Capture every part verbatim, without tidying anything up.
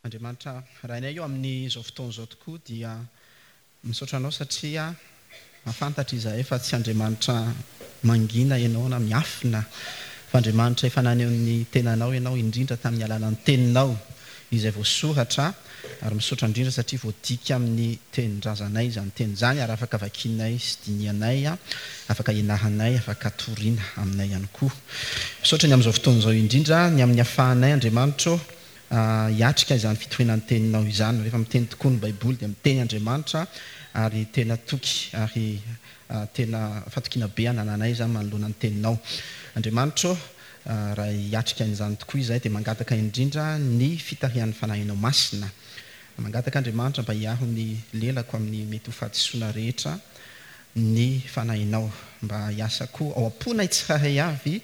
Andriamanitra Rainay eo amin'izao fotoana izao tokoa dia misaotra anao satria mahafantatra izahay fa tsy Andriamanitra mangina ianao na miafina fa Andriamanitra efa naneho ny tenanao ianao indrindra tamin'ny alalan'ny teninao izay voasoratra ary misaotra indrindra satria voadika amin'ny tenin-drazanay izany teny izany ary afaka vakinay sy dinihanay, afaka ianaranay, afaka toriana aminay ihany koa. Misaotra ny amin'izao fotoana izao indrindra ny amin'ny ahafahanay Andriamanitra ô hiatrika izany fitoriana ny teninao izany. Rehefa miteny tokoa ny Baiboly dia miteny Andriamanitra ary tena toky ary tena fatokiana be anananay izany manoloana ny teninao. Andriamanitra ô, raha hiatrika an'izany tokoa izahay dia mangataka indrindra ny fitarihan'ny Fanahinao Masina. Mangataka Andriamanitra mba hiaro ny lelako amin'ny mety ho fahadisoana rehetra ny Fanahinao, mba hiasa koa ao am-ponay tsirairay avy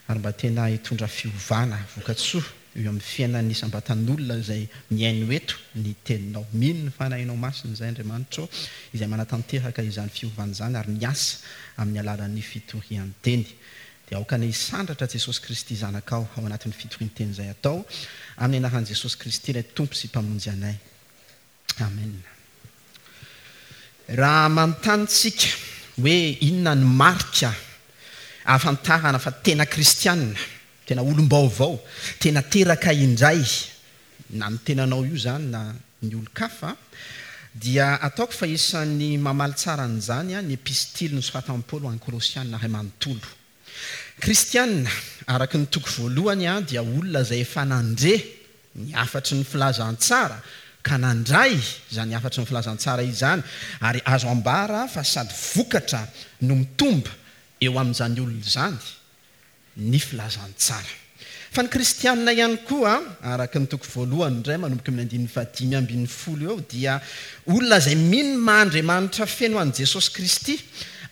ary mba tena hitondra fiovana vokatsoa eo amin'ny fiainan'ny isam-batan'olona izay mihaino eto ny teninao. Mino ny Fanahinao Masina izay Andriamanitra ô, izay manatanteraka izany fiovana izany ary miasa amin'ny alalan'ny fitorian-teny. Dia aoka ny hisandratra Jesosy Kristy Zanakao ao anatin'ny fitorian-teny izay atao amin'ny anaran'i Jesosy Kristy ilay Tompo sy Mpamonjy anay. Amen. Raha manontany tsika hoe inona ny marika ahafantarana fa tena kristianina, tena olom-baovao, tena teraka indray, na ny tenanao io izany na ny olon-kafa, dia ataoko fa isan'ny mamaly tsara an'izany ny epistily nosoratan'i Paoly ho an'ny Kolosiana iray manontolo. Kristianina, araka ny toko voalohany, dia olona izay efa nandre ny hafatry ny filazantsara ka nandray izany hafatry ny filazantsara izany, ary azo ambara fa sady vokatra no mitombo eo amin'izany olona izany ny filazantsara. Fa ny kristianina ihany koa, araka ny toko voalohany indray manomboka amin'ny andininy fahadimy ambin'ny folo eo, dia olona izay mino ny maha Andriamanitra feno an'i Jesosy Kristy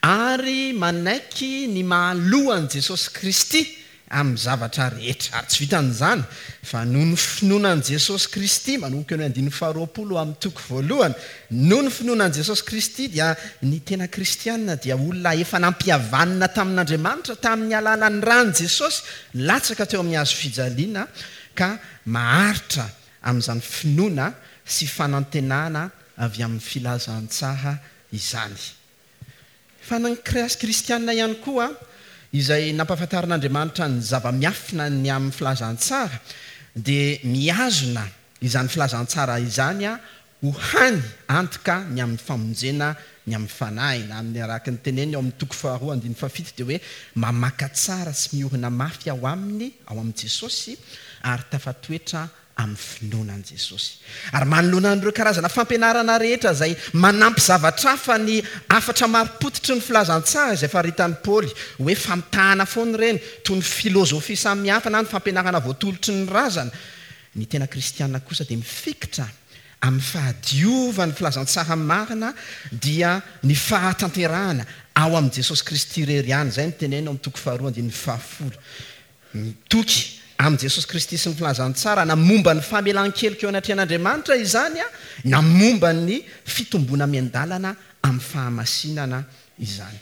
ary manaiky ny maha loha an'i Jesosy Kristy amin'ny zavatra rehetra. Ary tsy vitan'izany fa noho ny finoana an'i Jesosy Kristy, manomboka eo amin'ny andininy faharoapolo amin'ny toko voalohany, noho ny finoana an'i Jesosy Kristy dia ny tena kristianina dia olona efa nampihavanina tamin'Andriamanitra tamin'ny alalan'ny ran'i Jesosy latsaka teo amin'ny hazo fijaliana ka maharitra amin'izany finoana sy fanantenana avy amin'ny filazantsara izany. Fa ny kristianina ihany koa izay nampahafantarin'Andriamanitra ny zava-miafina ny amin'ny filazantsara dia mihazona izany filazantsara izany ho hany antoka ny amin'ny famonjena ny amin'ny fanahy. Na amin'ny araka ny teneniny ao amin'ny toko faharoa andininy fahafito dia hoe mamaka tsara sy miorina mafy ao aminy, ao amin'i Jesosy, ary tafatoetra amin'ny finoana an'i Jesosy. Ary manoloana an'ireo karazana fampianarana rehetra izay manampy zavatra hafa ny hafatra marim-pototry ny filazantsara izay faritan'i Paoly hoe famitahana foana ireny, toy ny filozofia samihafa na ny fampianarana voatolotry ny razana, ny tena kristiana kosa dia mifikitra amin'ny fahadiovan'ny filazantsara marina dia ny fahatanterahana ao amin'i Jesosy Kristy irery ihany. Izay no tenenina ao amin'ny toko faharoa andininy fahafolo. Mitoky amin'i Jesosy Kristy sy ny filazantsara na momba ny famelan-keloka eo anatrehan'Andriamanitra izany, na momba ny fitomboana miandalana amin'ny fahamasinana izany.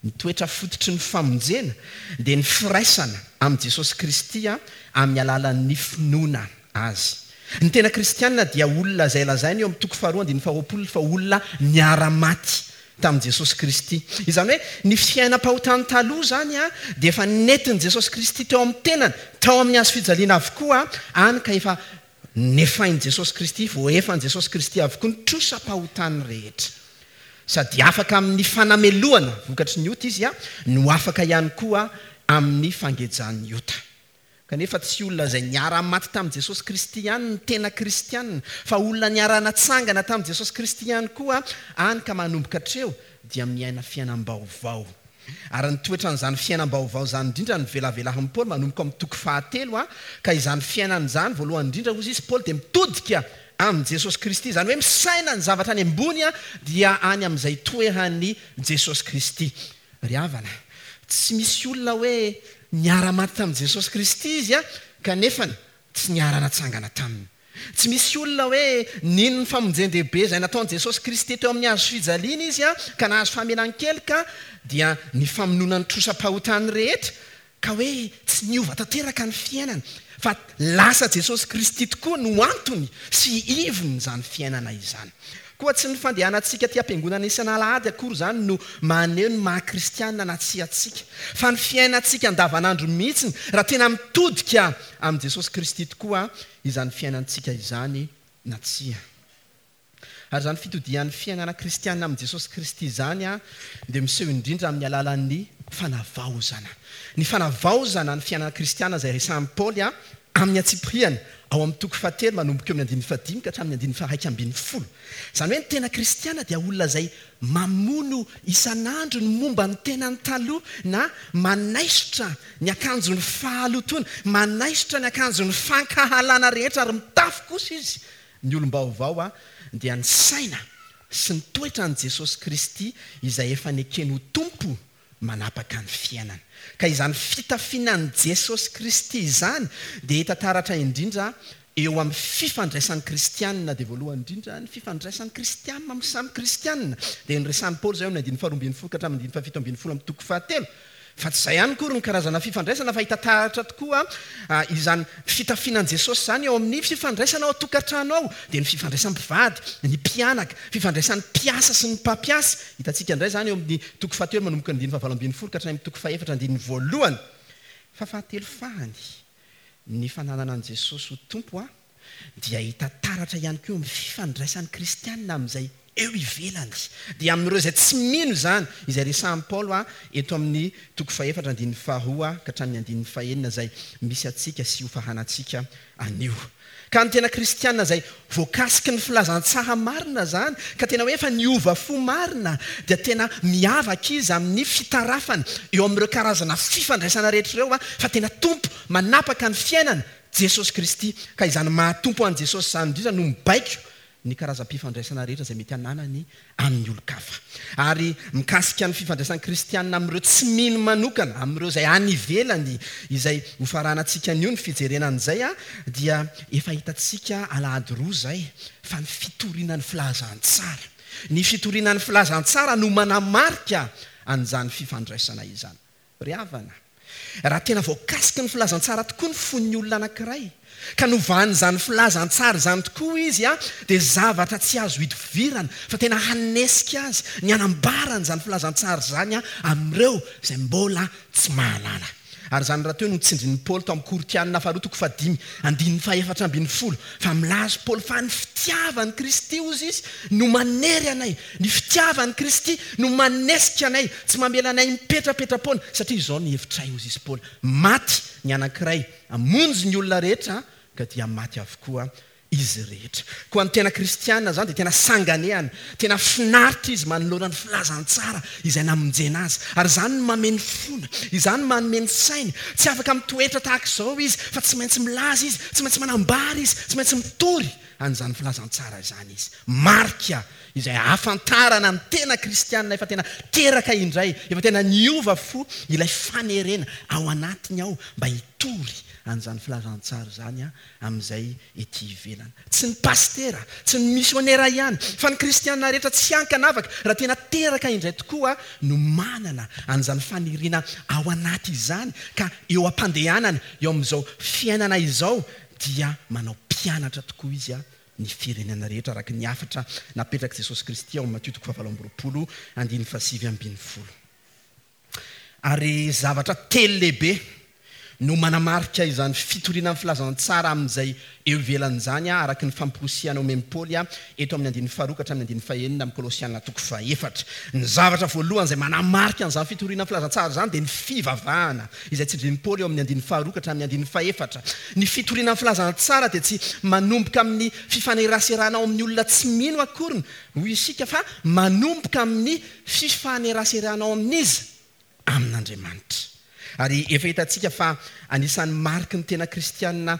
Ny toetra fototry ny famonjena dia ny firaisana amin'i Jesosy Kristy amin'ny alalan'ny finoana azy. Ny tena kristianina dia olona izay lazaina eo amin'ny toko faharoa andininy faharoapolo fa olona niara-maty tamin'i Jesosy Kristy. Izany hoe ny fiainam-pahotany taloha izany dia efa nentin'i Jesosy Kristy teo amin'ny tenany, tao amin'ny hazo fijaliana avokoa, any ka efa nefain'i Jesosy Kristy, voaefan'i Jesosy Kristy avokoa ny trosam-pahotany rehetra. Sady afaka amin'ny fanamelohana vokatry ny ota izy, no afaka ihany koa amin'ny fangejan'ny ota. Kanefa tsy olona izay niara-maty tamin'i Jesosy Kristy ihany ny tena kristianina, fa olona niara-natsangana tamin'i Jesosy Kristy ihany koa, any ka manomboka hatreo dia miaina fiainam-baovao. Ary ny toetran'izany fiainam-baovao izany indrindra ny velavelarin'i Paoly manomboka amin'ny toko fahatelo, ka izany fiainana izany voalohany indrindra hozy izy Paoly dia mitodika amin'i Jesosy Kristy, izany hoe misaina ny zavatra any ambony dia any amin'izay toeran'i Jesosy Kristy. Ry havana, tsy misy olona hoe niara-maty tamin'i Jesosy Kristy izy, kanefa tsy niara-natsangana taminy. Tsy misy olona hoe nino ny famonjen-dehibe izay nataon'i Jesosy Kristy teo amin'ny hazo fijaliana izy, ka nahazo famelan-keloka dia ny famonoana ny trosam-pahotany rehetra, ka hoe tsy niova tanteraka ny fiainana, Fa lasa Jesosy Kristy tokoa no antony sy ivon'izany fiainana izany. Koa tsy ny fandehanantsika aty am-piangonana isan'alahady akory izany no maneho ny maha kristianina na tsia antsika, fa ny fiainantsika andavanandro mihitsy, raha tena mitodika amin'i Jesosy Kristy tokoa izany fiainantsika izany na tsia. Ary izany fitodihan'ny fiainana kristianina amin'i Jesosy Kristy izany dia miseho indrindra amin'ny alalan'ny fanavaozana. Ny fanavaozana ny fiainana kristianina izay resahin'i Paoly amin'ny antsipiriany ao amin'ny toko fahatelo manomboka eo amin'ny andininy fahadimy ka hatramin'ny andininy faharaika ambin'ny folo. Izany hoe ny tena kristiana dia olona izay mamono isan'andro ny momba ny tenany taloha na manaisotra ny akanjon'ny fahalotoana, manaisotra ny akanjon'ny fankahalana rehetra ary mitafy kosa izy ny olom-baovao dia ny saina sy ny toetran'i Jesosy Kristy izay efa nekeny ho Tompo manapaka ny fiainana. Ka izany fitafiana an'i Jesosy Kristy izany dia hita taratra indrindra eo amin'ny fifandraisan'ny kristianina, dia voalohany indrindra ny fifandraisan'ny kristianina amin'ny samy kristianina. Dia noresahin'i Paoly izay eo amin'ny andininy faharoa ambin'ny folo ka hatramin'ny andininy fahafito ambin'ny folo amin'ny toko fahatelo. Fa tsy izay ihany koa ny karazana fifandraisana, fa hita taratra tokoa izany fitafiana an'i Jesosy izany eo amin'ny fifandraisana ao an-tokantrano ao, dia ny fifandraisan'ny mpivady, ny mpianaka, fifandraisan'ny mpiasa sy ny mpampiasa. Hitantsika indray izany eo amin'ny toko fahatelo manomboka ny andininy fahavalo ambin'ny folo ka hatramin'ny toko fahefatra andininy voalohany. Fa fahatelo fahany, ny fananana an'i Jesosy ho Tompo a, dia hita taratra ihany koa amin'ny fifandraisan'ny kristianina amin'izay eo ivelany, dia amin'ireo izay tsy mino izany, izay resahin'i Paoly a, eto amin'ny toko fahefatra andininy faharoa ka hatramin'ny andininy fahenina izay misy antsika sy hofahanantsika anio. Ka ny tena kristianina izay voakasiky ny filazantsara marina izany, ka tena hoe efa niova fo marina, dia tena miavaka izy amin'ny fitarafany eo amin'ireo karazana fifandraisana rehetra ireo, fa tena Tompo manapaka ny fiainana Jesosy Kristy. Ka izany mahatompo an'i Jesosy izany indrindra no mibaiko ny karazam-pifandraisana rehetra izay mety hananany amin'ny olon-kafa. Ary mikasika ny fifandraisan'ny kristianina amin'ireo tsy mino manokana, amin'ireo izay any ivelany, izay hofaranantsika anio ny fijerena an'izay, dia efa hitantsika alahady roa izay fa ny fitoriana ny filazantsara. Ny fitoriana ny filazantsara no manamarika an'izany fifandraisana izany. Ry havana, raha tena voakasiky ny filazantsara tokoa ny fon'ny olona anankiray, ka novan'izany filazantsara izany tokoa izy, dia zavatra tsy azo idovirana, fa tena hanesika azy ny hanambarany izany filazantsara izany amin'ireo izay mbola tsy mahalala. Ary izany rahateo no tsindrin'i Paoly tao amin'ny Korintianina faharoa toko fahadimy andininy fahefatra ambin'ny folo, fa milaza Paoly fa ny fitiavan'i Kristy hozy izy no manery anay, ny fitiavan'i Kristy no manesika anay, tsy mamela anay mipetrapetra-poana, satria izao ny hevitray hozy izy Paoly, maty ny anankiray hamonjy ny olona rehetra, ka dia maty avokoa izy rehetra. Koa ny tena kristianina izany dia tena sanganehana, tena finaritra izy manoloana ny filazantsara izay namonjena azy. Ary izany no manome ny fony, izany no manome ny sainy. Tsy afaka mitoetra tahaka izao izy, fa tsy maintsy milaza izy, tsy maintsy manambara izy, tsy maintsy mitory an'izany filazantsara izany izy. Marika izay ahafantarana ny tena kristianina efa tena teraka indray, efa tena niova fo ilay fanerena ao anatiny ao mba hitory an'izany filazantsara izany amin'izay ety ivelany. Tsy ny pastera, tsy ny misionera ihany, fa ny kristianina rehetra tsy ankanavaka, raha tena teraka indray tokoa no manana an'izany faniriana ao anaty izany, ka eo am-pandehanana, eo amin'izao fiainana izao, dia manao mpianatra tokoa izy ny firenena rehetra, araka ny hafatra napetrak'i Jesosy Kristy ao amin'ny Matio toko fahavalo amby roapolo, andininy fahasivy ambin'ny folo. Ary zavatra telo lehibe no manamarika izany fitoriana ny filazantsara amin'izay eo ivelan'izany, araka ny famporisiana omen'i Paoly eto amin'ny andininy faharoa ka hatramin'ny andininy fahenina amin'ny Kolosiana toko fahefatra. Ny zavatra voalohany izay manamarika an'izany fitoriana ny filazantsara izany dia ny fivavahana, izay tsindrin'i Paoly eo amin'ny andininy faharoa ka hatramin'ny andininy fahefatra. Ny fitoriana ny filazantsara dia tsy manomboka amin'ny fifaneraserana ao amin'ny olona tsy mino akoriny, hoy isika, fa manomboka amin'ny fifaneraserana ao amin'iza? Amin'Andriamanitra. Ary efa hitantsika fa anisan'ny mariky ny tena kristianina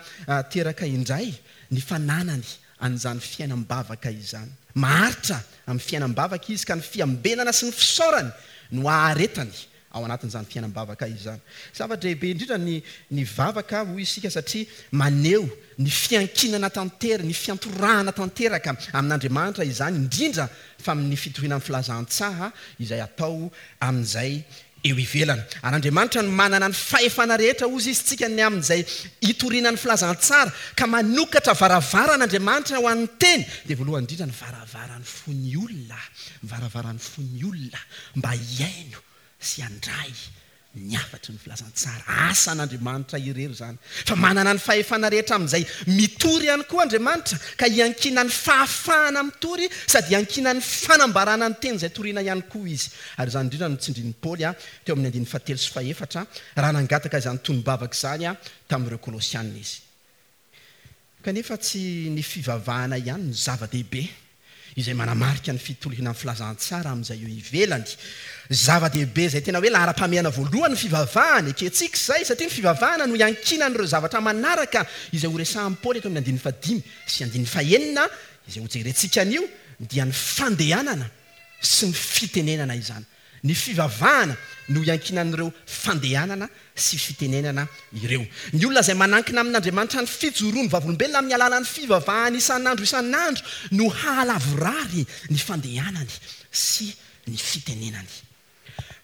teraka indray ny fananany an'izany fiainam-bavaka izany. Maharitra amin'ny fiainam-bavaka izy, ka ny fiambenana sy ny fisaorany no aharetany ao anatin'izany fiainam-bavaka izany. Zava-dehibe indrindra ny, ny vavaka, hoy isika, satria maneho ny fiankinana tanteraka, ny fiantorahana tanteraka amin'Andriamanitra izany, indrindra fa amin'ny fitoriana ny filazantsara izay atao amin'izay eo ivelany. Ary Andriamanitra no manana ny fahefana rehetra, hozy izy tsika, ny amin'izay hitoriana ny filazantsara, ka manokatra varavarana Andriamanitra ho an'ny teny. Dia voalohany indrindra ny varavaran'ny fon'ny olona, varavaran'ny fon'ny olona mba hihaino sy handray ny hafatry ny filazantsara. Asan'Andriamanitra irery izany. Fa manana ny fahefana rehetra amin'izay mitory ihany koa Andriamanitra, ka hiankina ny fahafahana mitory sady hiankina ny fanambarana ny teny izay toriana ihany koa izy. Ary izany indrindra no tsindrin'i Paoly teo amin'ny andininy fahatelo sy fahefatra raha nangataka izany tonom-bavaka izany tamin'ireo Kolosianina izy. Kanefa tsy ny fivavahana ihany no zava-dehibe izay manamarika ny fitoriana ny filazantsara amin'izay eo ivelany. Zava-dehibe izay tena hoe laharam-pahamehana voalohany ny fivavahana, ekentsika izay, satria ny fivavahana no iankinan'ireo zavatra manaraka izay horesahan'i Paoly eto amin'ny andininy fahadimy sy andininy fahenina izay hojerentsika anio, dia ny fandehanana sy ny fitenenana izany. Ny fivavahana no iankinan'ireo fandehanana sy fitenenana ireo. Ny olona izay manankina amin'Andriamanitra ny fijoroany vavolombelona amin'ny alalan'ny fivavahana isan'andro isan'andro no hahalavorary ny fandehanany sy ny fitenenany.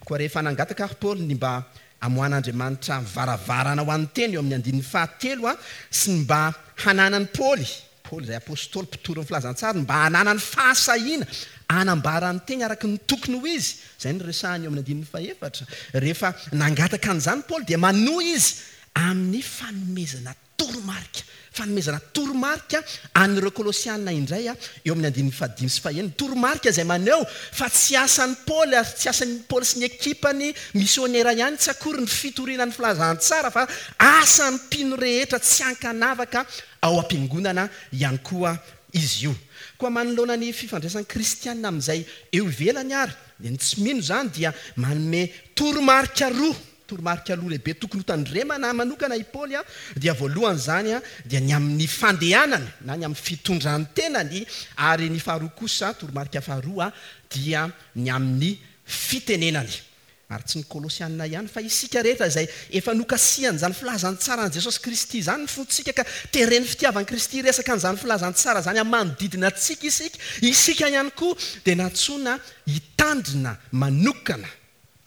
Koa rehefa nangataka ary Paoly ny mba hamoahan'Andriamanitra varavarana ho an'ny teny eo amin'ny andininy fahatelo sy ny mba hananan'i Paoly, Paoly izay apôstôly mpitory ny filazantsara, ny mba hananany fahasahiana hanambara ny teny araka ny tokony ho izy, izay no resahany eo amin'ny andininy fahefatra. Rehefa nangataka an'izany Paoly dia manohy izy amin'ny fanomezana toromarika, fanomezana toromarika an'ireo Kolosianina indray eo amin'ny andininy fahadimy sy fahenina. Toromarika izay maneho fa tsy asan'i Paoly ary tsy asan'i Paoly sy ny ekipany misionera ihany tsy akory ny fitoriana ny filazantsara, fa asan'ny mpino rehetra tsy ankanavaka ao am-piangonana ihany koa izy io. Koa manoloana ny fifandraisan'ny kristianina amin'izay eo ivelany ary dia ny tsy mino izany dia manome toromarika roa, toromarika roa lehibe tokony hotandremana manokana i Paoly a, dia voalohany izany a, dia ny amin'ny fandehanana na ny amin'ny fitondran-tenany, ary ny faharoa kosa, toromarika faharoa, dia ny amin'ny fitenenany. Ary tsy ny Kolosianina ihany fa isika rehetra izay efa nokasihan'izany filazantsaran'i Jesosy Kristy izany ny fontsika, ka teren'ny fitiavan'i Kristy resaka an'izany filazantsara izany amin'ny manodidina antsika isika, isika ihany koa dia nantsoina hitandrina manokana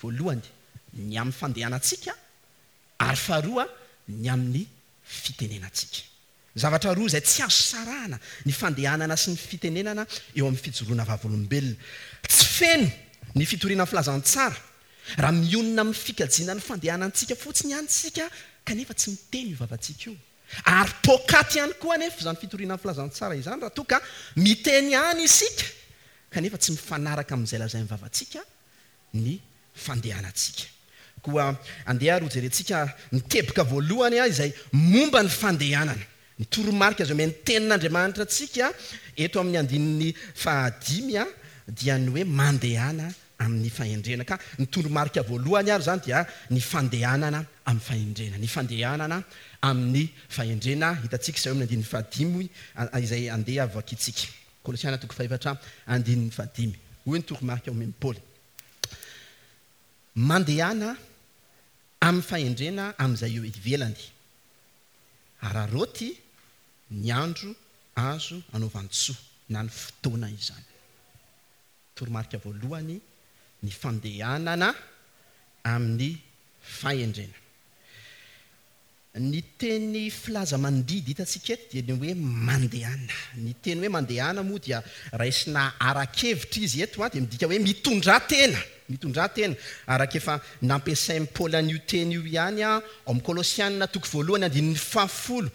voalohany ny amin'ny fandehanantsika ary faharoa ny amin'ny fitenenantsika. Zavatra roa izay tsy azo sarahana ny fandehanana sy ny fitenenana eo amin'ny fijoroana vavolombelona. Tsy feno ny fitoriana ny filazantsara raha mionona amin'ny fikajiana ny fandehanantsika fotsiny ihany isika, kanefa tsy miteny io vavantsika io. Ary poakaty ihany koa anefa izany fitoriana ny filazantsara izany raha toa ka miteny ihany isika, kanefa tsy mifanaraka amin'izay lazain'ny vavantsika ny fandehanantsika. Koa andeha ary hojerentsika ny teboka voalohany izay momba ny fandehanana. Ny toromarika izay omen'ny tenin'Andriamanitra antsika eto amin'ny andininy fahadimy dia ny hoe mandehana amin'ny fahendrena. Ka ny toromarika voalohany ary izany dia ny fandehanana amin'ny fahendrena. Ny fandehanana amin'ny fahendrena hitantsika izay amin'ny andininy fahadimy izay andeha vakintsika. Kolosiana toko fahefatra andininy fahadimy. Hoy ny toromarika omen'i Paoly: mandehana amin'ny fahendrena amin'izay eo ivelany, araraoty ny andro azo anaovan-tsoa na ny fotoana izany. Toromarika voalohany ny fandehanana amin'ny fahendrena. Ny teny filaza mandidy hitantsika eto dia ny hoe mandehana. Ny teny hoe mandehana moa dia raisina ara-kevitra izy eto, dia midika hoe mitondra tena, mitondra tena. Araka efa nampiasain'i Paoly an'io teny io ihany ao amin'ny Kolosianina toko voalohany andininy fahafolo.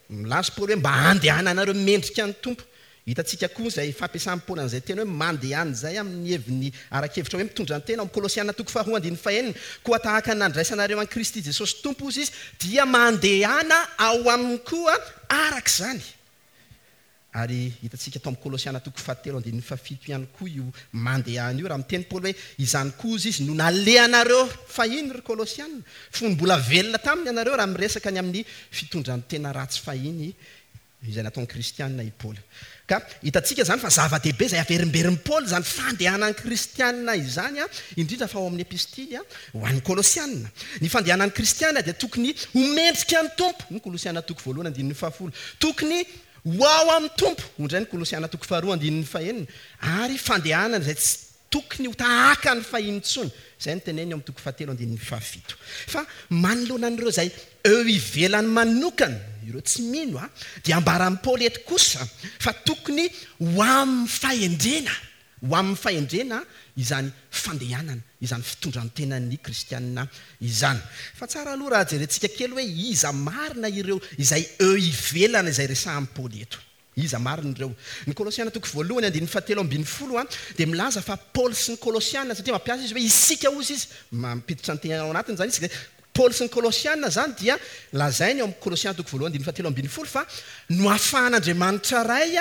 Milaza Paoly hoe mba handehananareo mendrika ny Tompo. Hitantsika koa izay fampiasan'i Paoly an'izay teny hoe mandehana izay amin'ny heviny ara-kevitra hoe mitondra ny tena ao amin'ny Kolosiana toko faharoa andininy fahenina. Koa tahaka ny nandraisanareo an'i Kristy Jesosy Tompo izy dia mandehana ao aminy koa araka izany. Ary hitantsika tao amin'ny Kolosiana toko fahatelo andininy fahafito ihany koa io mandehana io, raha miteny Paoly hoe izany koa izy no nalehanareo fahiny ry Kolosiana, fony mbola velona taminy ianareo, raha miresaka ny amin'ny fitondran-tena ratsy fahiny izay nataon'ny kristianina i Paoly. Ka hitantsika izany fa zava-dehibe izay averimberin'i Paoly izany fandehanan'ny kristianina izany, indrindra fa ao amin'ny epistily ho an'ny Kolosianina. Ny fandehanan'ny kristianina dia tokony ho mendrika ny Tompo. Ny Kolosiana toko voalohany andininy fahafolo. Tokony ho ao amin'ny Tompo. Indray ny Kolosiana toko faharoa andininy fahenina. Ary fandehanana izay tsy tokony ho tahaka ny fahiny intsony. Izay no teneniny eo amin'ny toko fahatelo andininy fahafito. Fa manoloana an'ireo izay eo ivelany manokana, ireo tsy mino, a, dia ambaran'i Paoly eto kosa fa tokony ho amin'ny fahendrena, ho amin'ny fahendrena izany fandehanana, izany fitondran-tenan'ny kristianina izany. Fa tsara aloha raha jerentsika kely hoe iza marina ireo izay eo ivelany izay resahan'i Paoly eto. Iza marina ireo? Ny Kolosiana toko voalohany andininy fahatelo ambin'ny folo a dia milaza fa Paoly sy ny Kolosiana, satria mampiasa izy hoe isika hozy izy, mampiditra ny tenany ao anatiny izany izy. Paoly sy ny Kolosiana izany dia lazainy ao amin'ny Kolosiana toko voalohany andininy fahatelo ambin'ny folo fa noafahan'Andriamanitra Ray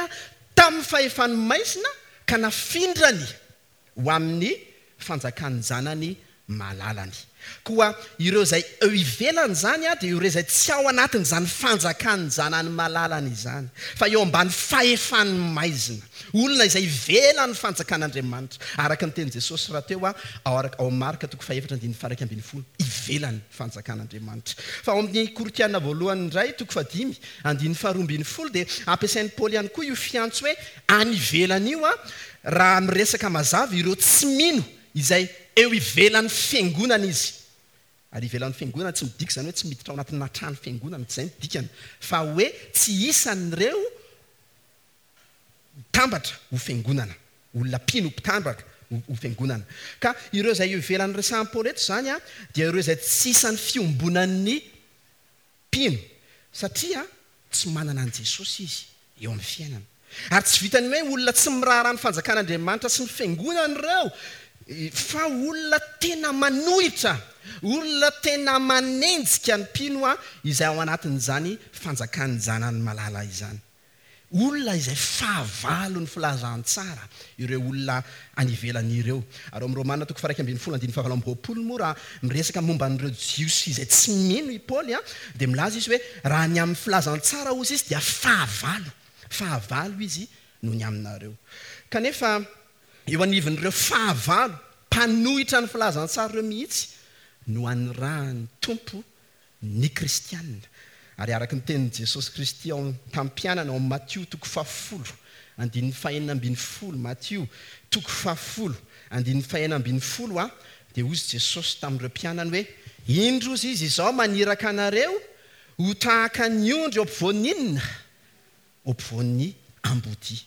tamin'ny fahefan'ny maizina ka nafindrany ho amin'ny fanjakan'ny zanany malalany. Koa ireo izay eo ivelany izany a dia ireo izay tsy ao anatin'izany fanjakan'ny zanany malalany izany, fa eo ambany fahefan'ny maizina, olona izay ivelan'ny fanjakan'Andriamanitra, araka ny tenin'i Jesosy rahateo a ao araka ao Marka toko fahefatra andininy faha-iraika ambin'ny folo, ivelan'ny fanjakan'Andriamanitra. Fa ao amin'ny Korintiana voalohany indray toko fahadimy andininy faharoa ambin'ny folo dia ampiasain'i Paoly ihany koa io fiantso hoe any ivelany io a raha miresaka mazava ireo tsy mino izay eo ivelan'ny fiangonana izy. Ary ivelan'ny fiangonana tsy midika izany hoe tsy miditra ao anatina trano fiangonana, tsy izay no dikany, fa hoe tsy isan'ireo mitambatra ho fiangonana, olona mpino mpitambatra ho fiangonana. Ka ireo izay eo ivelan'ny resahan'i Paoly eto izany a dia ireo izay tsy isan'ny fiombonan'ny mpino, satria tsy manana an'i Jesosy izy eo amin'ny fiainana. Ary tsy vitan'ny hoe olona tsy miraharaha ny fanjakan'Andriamanitra sy ny fiangonana ireo, fa olona tena manohitra, olona tena manenjika ny mpino a izay ao anatin'izany fanjakan'ny zanany malala izany. Olona izay fahavalo ny filazantsara ireo olona any ivelany ireo. Ary ao amin'ny Romana toko faha-iraika ambin'ny folo andininy fahavalo amby roapolo moa raha miresaka momba an'ireo Jiosy izay tsy mino i Paoly a dia milaza izy hoe raha ny amin'ny filazantsara hozy izy dia fahavalo, fahavalo izy noho ny aminareo. Kanefa eo anivon'ireo fahavalo mpanohitra ny filazantsara ireo mihitsy no anirahan'ny Tompo ny kristianina. Ary araka ny tenin'i Jesosy Kristy ao tamin'ny mpianany ao amin'ny Matio toko fahafolo andininy fahenina ambin'ny folo, Matio toko fahafolo andininy fahenina ambin'ny folo a dia hoy Jesosy tamin'ireo mpianany hoe indro izy izao maniraka anareo ho tahaka ny ondry eo ampovoan'ny inona? Eo ampovoan'ny ambodia.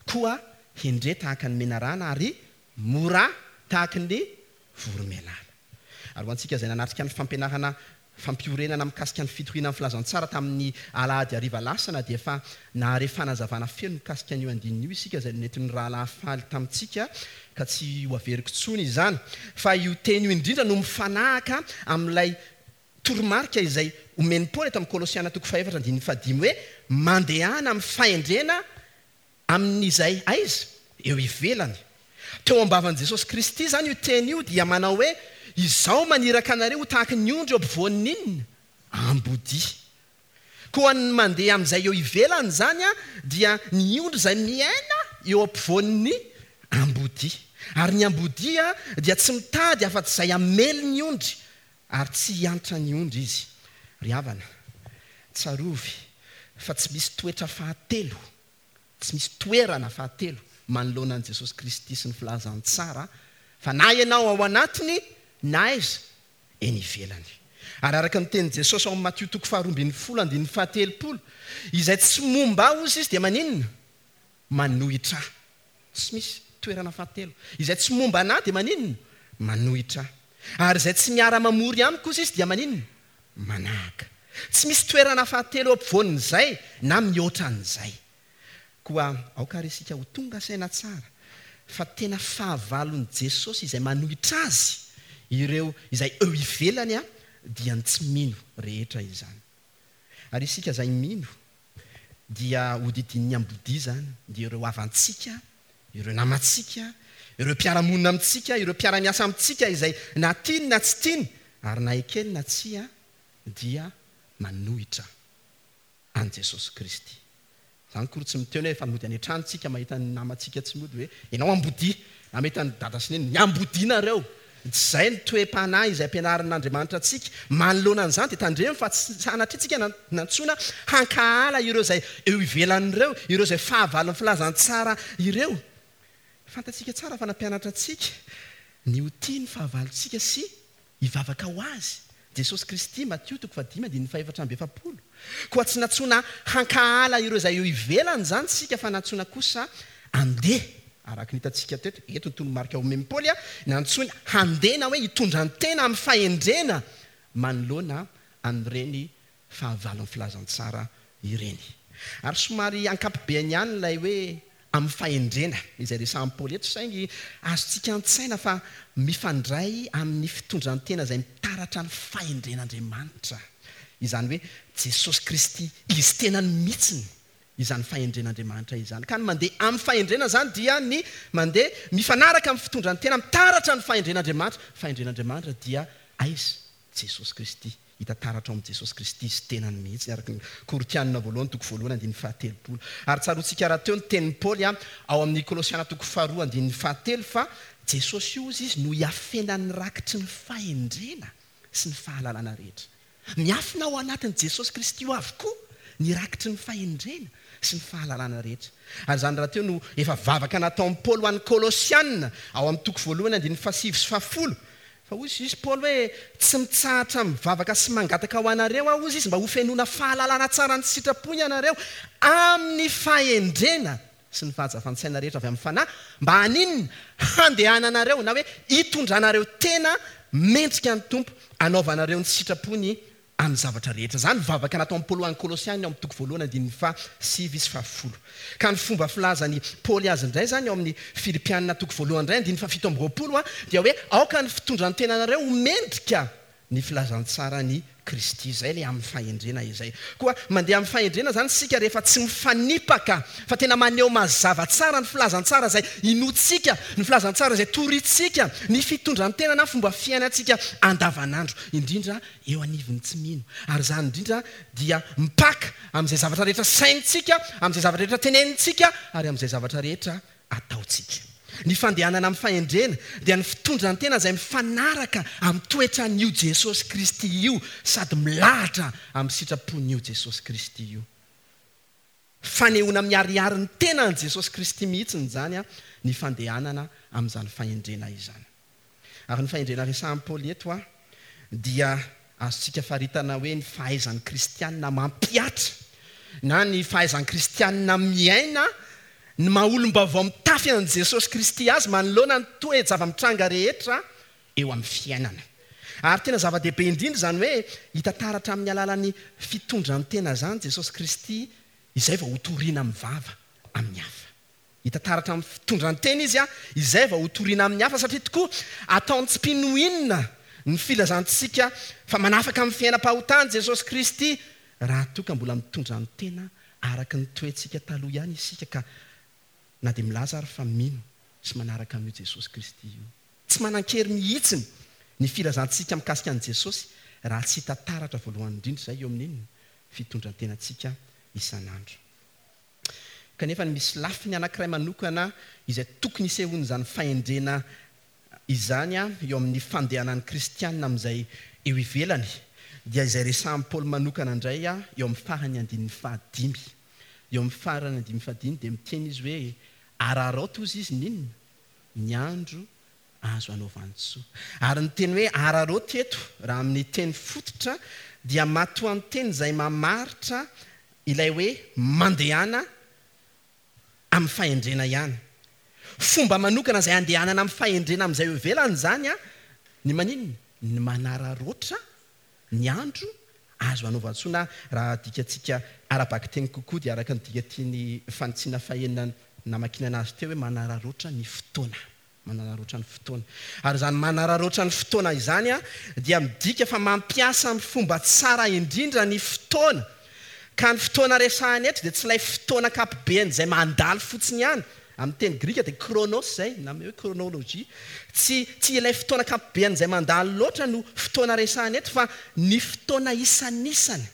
Koa hendre tahaka ny menarana ary mora tahaka ny voromailala. Ary ho antsika izay nanatrika ny fampianarana fampiorenana mikasika ny fitoriana ny filazantsara tamin'ny alahady hariva lasana dia efa nahare fanazavana feno mikasika an'io andininy io isika izay nentin'ny rahalahy faly tamintsika, ka tsy ho averiko intsony izany. Fa io teny io indrindra no mifanahaka amin'ilay toromarika izay omen'i Paoly eto amin'ny Kolosiana toko fahefatra andininy fahadimy hoe mandehana amin'ny fahendrena amin'izay aiza? Eo ivelany. Teo am-bavan'i Jesosy Kristy izany io teny io dia manao hoe izao maniraka anareo ho tahaka ny ondry eo ampovoan'ny inona? Ambodia. Koa ny mandeha amin'izay eo ivelany izany a dia ny ondry izay miaina eo ampovoan'ny ambodia. Ary ny ambodia dia tsy mitady afa-tsy izay hamely ny ondry ary tsy hiantra ny ondry izy. Ry havana, tsarovy fa tsy misy toetra fahatelo, tsy misy toerana fahatelo manoloana an'i Jesosy Kristy sy ny filazantsara, fa na ianao ao anatiny na aiza eny ivelany. Ary araka ny tenin'i Jesosy ao amin'ny Matio toko faharoa ambin'ny folo andininy fahatelopolo, izay tsy momba ahy hozy izy dia maninona? Manohitra ahy. Tsy misy toerana fahatelo. Izay tsy momba anahy dia maninona? Manohitra ahy. Ary izay tsy miara-mamory amiko hozy izy dia maninona? Manahaka. Tsy misy toerana fahatelo eo ampovoan'izay na mihoatra an'izay. Koa aoka ary isika ho tonga saina tsara fa tena fahavalon'i Jesosy izay manohitra azy, ireo izay eo ivelany a dia ny tsy mino rehetra izany. Ary isika izay mino dia hodidin'ny ambodia izany, dia ireo havantsika, ireo namantsika, ireo mpiara-monina amintsika, ireo mpiara-miasa amintsika izay na tiany na tsy tiany ary na ekeny na tsia dia manohitra an'i Jesosy Kristy. Izany koa tsy miteny hoe efa mody any an-trano tsika mahita ny namantsika tsy mody hoe ianao ambodia, na mahita ny dada sy neny, ny ambodianareo. Tsy izay ny toe-panahy izay ampianarin'Andriamanitra antsika. Manoloana an'izany dia tandremo fa tsy sanatria tsika nantsoina hankahala ireo izay eo ivelan'ireo, ireo izay fahavalon'ny filazantsara ireo. Fantatsika tsara fa nampianatra antsika ny ho tia ny fahavalontsika sy hivavaka ho azy Jesosy Kristy, Matio toko fahadimy andininy fahefatra amby efapolo. Koa tsy nantsoina hankahala ireo izay eo ivelany izany isika fa nantsoina kosa handeha, araka ny hitantsika teto, eto ny toromarika omen'i Paoly, nantsoina handeha na hoe hitondra ny tena amin'ny fahendrena manoloana an'ireny fahavalon'ny filazantsara ireny. Ary somary ankapobeany ihany ilay hoe amin'ny fahendrena izay resahan'i Paoly eto, saingy azontsika an-tsaina fa mifandray amin'ny fitondran-tena izay mitaratra ny fahendren'Andriamanitra, izany hoe Jesosy Kristy Izy tenany mihitsiny izany fahendren'Andriamanitra izany. Ka ny mandeha amin'ny fahendrena izany dia ny mandeha mifanaraka amin'ny fitondran-tena mitaratra ny fahendren'Andriamanitra. Fahendren'Andriamanitra dia aiza? Jesosy Kristy. Hita taratra ao amin'i Jesosy Kristy Izy tenany mihitsy, araka ny Korintianina voalohany toko voalohany andininy fahatelopolo. Ary tsaroantsika rahateo ny tenin'i Paoly ao amin'ny Kolosiana toko faharoa andininy fahatelo fa Jesosy io, hozy izy, no iafenan'ny rakitry ny fahendrena sy ny fahalalana rehetra. Miafina ao anatin'i Jesosy Kristy io avokoa ny rakitry ny fahendrena sy ny fahalalana rehetra. Ary izany rahateo no efa vavaka nataon'i Paoly ho an'ny Kolosiana ao amin'ny toko voalohany andininy fahasivy sy fahafolo. Fa hoy izy Paoly hoe, Tsy mitsahatra mivavaka sy mangataka ho anareo aho, hozy izy, mba hofenoina fahalalana tsara ny sitrapony ianareo, amin'ny fahendrena sy ny fahazavan-tsaina rehetra avy amin'ny Fanahy, mba haninona? Handehananareo, na hoe hitondranareo tena mendrika ny Tompo, hanaovanareo ny sitrapony amin'ny zavatra rehetra. Izany vavaka nataon'i Paoly ho an'ny Kolosiana ao amin'ny toko voalohany andininy faha sivy sy faha folo. Ka ny fomba filazan'i Paoly azy indray izany ao amin'ny Filipiana toko voalohany indray andininy faha fito amby roapolo dia hoe aoka ny fitondran-tenanareo ho mendrika ny filazantsaran'i Kristy. Izay ilay amin'ny fahendrena izay. Koa mandeha amin'ny fahendrena izany isika rehefa tsy mifanipaka fa tena maneho mazava tsara ny filazantsara izay inoantsika, ny filazantsara izay torintsika, ny fitondran-tena na fomba fiainantsika andavanandro, indrindra eo anivon'ny tsy mino. Ary izany indrindra dia mipaka amin'izay zavatra rehetra sainintsika, amin'izay zavatra rehetra tenenintsika, ary amin'izay zavatra rehetra ataontsika. Ny fandehanana amin'ny fahendrena dia ny fitondran-tena izay mifanaraka amin'ny toetran'io Jesosy Kristy io sady milahatra amin'ny sitrapon'io Jesosy Kristy io. Fanehoana miharihary ny tenan'i Jesosy Kristy mihitsy izany ny fandehanana amin'izany fahendrena izany. Ary ny fahendrena resahin'i Paoly eto dia azontsika faritana hoe ny fahaizan'ny kristianina mampihatra na ny fahaizan'ny kristianina miaina ny maha olom-baovao mitafy an'i Jesosy Kristy azy manoloana ny toe-java-mitranga rehetra eo amin'ny fiainana. Ary tena zava-dehibe indrindra izany hoe hita taratra amin'ny alalan'ny fitondran-tena izany Jesosy Kristy izay vao hotorina amin'ny vava amin'ny hafa. Hita taratra amin'ny fitondran-tena izy izay vao hotorina amin'ny hafa, satria tokoa ataony tsy mpino inona ny filazantsika fa manafaka amin'ny fiainam-pahotany Jesosy Kristy raha toa ka mbola mitondra ny tena araka ny toetsika taloha ihany isika, ka na dia milaza ary fa mino sy manaraka an'io Jesosy Kristy io. Tsy manan-kery mihitsy ny filazantsika mikasika an'i Jesosy raha tsy hita taratra voalohany indrindra izay eo amin'inona fitondran-tenantsika isan'andro. Kanefa ny misy lafiny anankiray manokana izay tokony hisehoan'izany fahendrena izany eo amin'ny fandehanan'ny kristianina amin'izay eo ivelany, dia izay resahan'i Paoly manokana indray eo amin'ny farany andininy fahadimy. Eo amin'ny farany andininy fahadimy dia miteny izy hoe araraoty hozy izy n'inona? Ny andro azo anaovan-tsoa. Ary ny teny hoe araraoty eto, raha amin'ny teny fototra, dia matoanteny izay mamaritra ilay hoe mandehana amin'ny fahendrena ihany. Fomba manokana izay andehanana amin'ny fahendrena amin'izay eo ivelany izany, ny maninona? Ny manararaotra ny andro azo anaovan-tsoa, na raha adikatsika ara-bakiteny kokoa dia araka ny dika tiany fanitsiana fahenina namakiana azy teo hoe manararaotra ny fotoana. Manararaotra ny fotoana. Ary izany manararaotra ny fotoana izany dia midika fa mampiasa amin'ny fomba tsara indrindra ny fotoana. Ka ny fotoana resahana eto dia tsy ilay fotoana ankapobeny izay mandalo fotsiny ihany. Amin'ny teny grika dia chronos izay, na hoe chronologie. Tsy, tsy ilay fotoana ankapobeny izay mandalo loatra no fotoana resahana eto, fa ny fotoana isanisany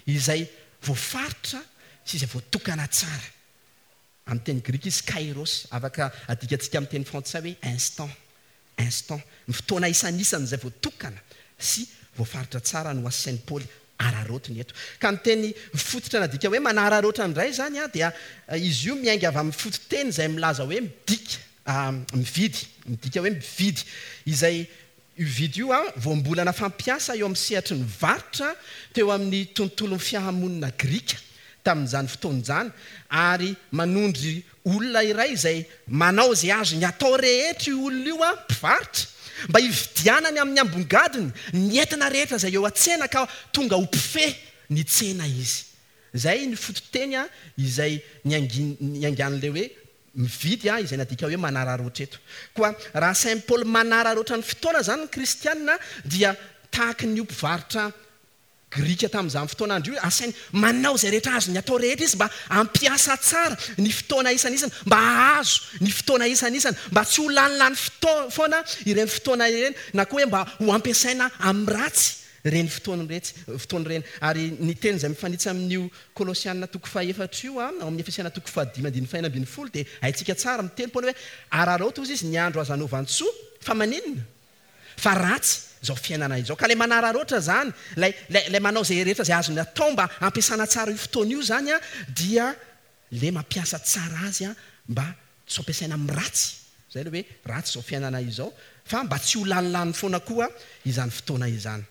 izay voafaritra sy izay voatokana tsara. Amin'ny teny grika izy kairos, afaka adikantsika amin'ny teny frantsay hoe instant. Instant. Ny fotoana isanisany izay voatokana sy voafaritra tsara no asain'i Paoly araraotiny eto. Ka ny teny fototra nadika hoe manararaotra indray izany dia izy io miainga avy amin'ny fototeny izay milaza hoe midika, Mividy, midika hoe mividy. Izay io vidy io voambolana fampiasa eo amin'ny sehatry ny varotra teo amin'ny tontolon'ny fiarahamonina grika tamin'izany fotoana izany, ary manondry olona iray izay manao izay azony atao rehetra io olona io, mpivarotra, mba hividianany amin'ny ambongadiny ny entana rehetra izay eo an-tsena ka tonga ho mpifehy ny tsena izy. Izay ny fototeny izay niaingan'ilay hoe mividy, izay nadika hoe manararaotra eto. Koa raha asain'i Paoly manararaotra ny fotoana izany ny kristianina, dia tahaka ny mpivarotra grika tamin'izany fotoan'andro io, asainy manao izay rehetra azony atao rehetra izy mba hampiasa tsara ny fotoana isan'isany, mba hahazo ny fotoana isan'isany, mba tsy ho lanilany fotoa-, foana ireny fotoana ireny, na koa hoe mba ho ampiasaina amin'ny ratsy ireny fotoana iretsy, fotoana ireny. Ary ny teny izay mifanitsy amin'io Kolosiana toko fahefatra io, ao amin'ny Efesiana toko fahadimy andininy fahenina ambin'ny folo, dia haintsika tsara miteny Paoly hoe araraoty hozy izy ny andro azo anaovan-tsoa, fa maninona? Fa ratsy izao fiainana izao. Ka ilay manararaotra izany, ilay, ilay, ilay manao izay rehetra izay azony atao mba hampiasana tsara io fotoana io izany, dia ilay mampiasa tsara azy mba tsy ho ampiasaina amin'ny ratsy. Izay ilay hoe ratsy izao fiainana izao, fa mba tsy ho lanilany foana koa izany fotoana izany.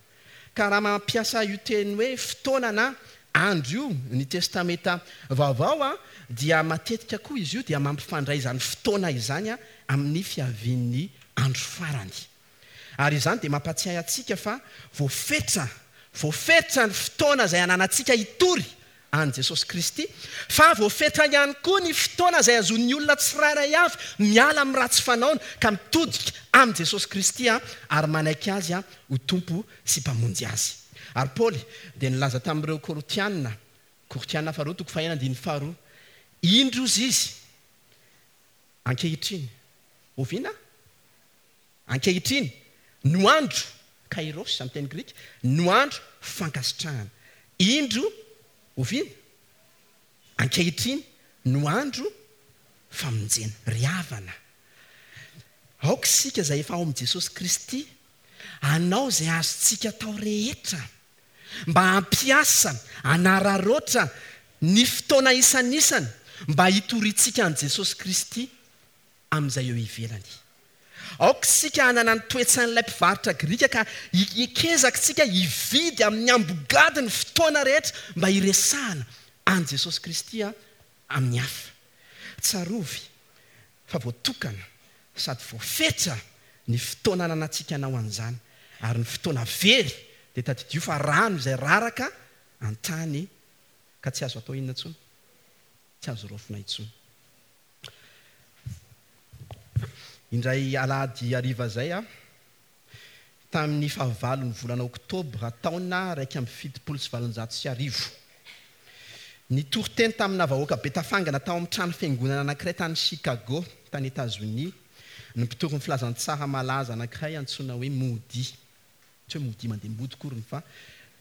Ka raha mampiasa io teny hoe fotoana na andro io ny Testamenta Vaovao, dia matetika koa izy io dia mampifandray izany fotoana izany amin'ny fiavian'ny andro farany. Ary izany dia mampatsiahy antsika fa voafetra, voafetra ny fotoana izay ananantsika hitory an'i Jesosy Kristy, fa voafetra ihany koa ny fotoana izay azon'ny olona tsirairay avy miala amin'ny ratsy fanaony ka mitodika amin'i Jesosy Kristy ary manaiky azy ho Tompo sy Mpamonjy azy. Ary Paoly dia nilaza tamin'ireo Korintiana, Korintiana faharoa toko fahenina andininy faharoa, indro izy izy ankehitriny, oviana? Ankehitriny no andro, kairos amin'ny teny grika, no andro fankasitrahana. Indro oviana? Ankehitriny no andro famonjena. Ry havana, aoka isika izay efa ao amin'i Jesosy Kristy hanao izay azontsika atao rehetra mba hampiasa, hanararaotra ny fotoana isan'isany mba hitoriantsika an'i Jesosy Kristy amin'izay eo ivelany. Aoka isika hanana ny toetsain'ilay mpivarotra grika ka hikezaka isika hividy amin'ny ambogady ny fotoana rehetra mba hiresahana an'i Jesosy Kristy amin'ny hafa. Tsarovy fa voatokana sady voafetra ny fotoana ananantsika hanao an'izany, ary ny fotoana very dia tadidio fa rano izay raraka an-tany ka tsy azo atao inona intsony, tsy azo raofina intsony. Indray alahady hariva izay aho, tamin'ny fahavalon'ny volana oktobra taona iraika amby fitopolo sy valonjato sy arivo. Nitory teny tamina vahoaka be tafangana tao amin'ny trano fiangonana anankiray tany Chicago, tany Etazonia, ny mpitory ny filazantsara malaza anankiray antsoina hoe Moody. Tsy hoe Moody mandeha mody akory fa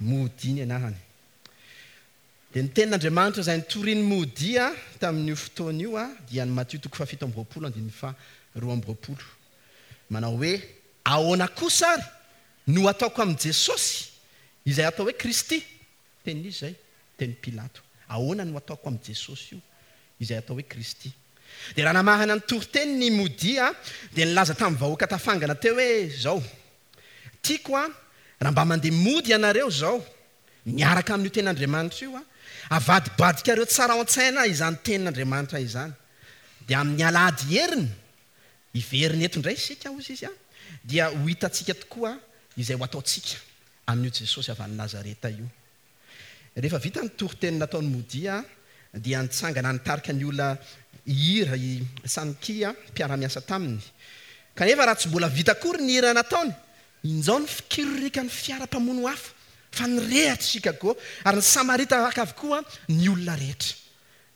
Moody ny anarany. Dia ny tenin'Andriamanitra izay nitorian'i Moody tamin'io fotoana io dia ny Matio toko fahafito amby roapolo andininy faharoa amby roapolo. Manao hoe ahoana kosa ary no ataoko amin'i Jesosy izay atao hoe Kristy? Tenin'izy izay, tenin'i Pilato. Ahoana no ataoko amin'i Jesosy io izay atao hoe Kristy? Dia raha namarana ny toriteny ny Moody dia nilaza tamin'ny vahoaka tafangana teo hoe zao, tiako a raha mba mandeha mody ianareo zao miaraka amin'io tenin'Andriamanitra io, avadibadikareo tsara ao an-tsaina izany tenin'Andriamanitra izany. Dia amin'ny alahady heriny hiverina eto indray isika, hozy izy, dia ho hitantsika tokoa izay ho ataontsika amin'io Jesosy avy any Nazareta io. Rehefa vita ny toriteny nataon'i Moody dia nitsangana nitarika ny olona hihira i Sankey, mpiara-miasa taminy. Kanefa raha tsy mbola vita akory ny hira nataony, injao ny fikiririkan'ny fiara mpamono afo fa nirehatra Chicago ary ny Samaritaka avokoa ny olona rehetra.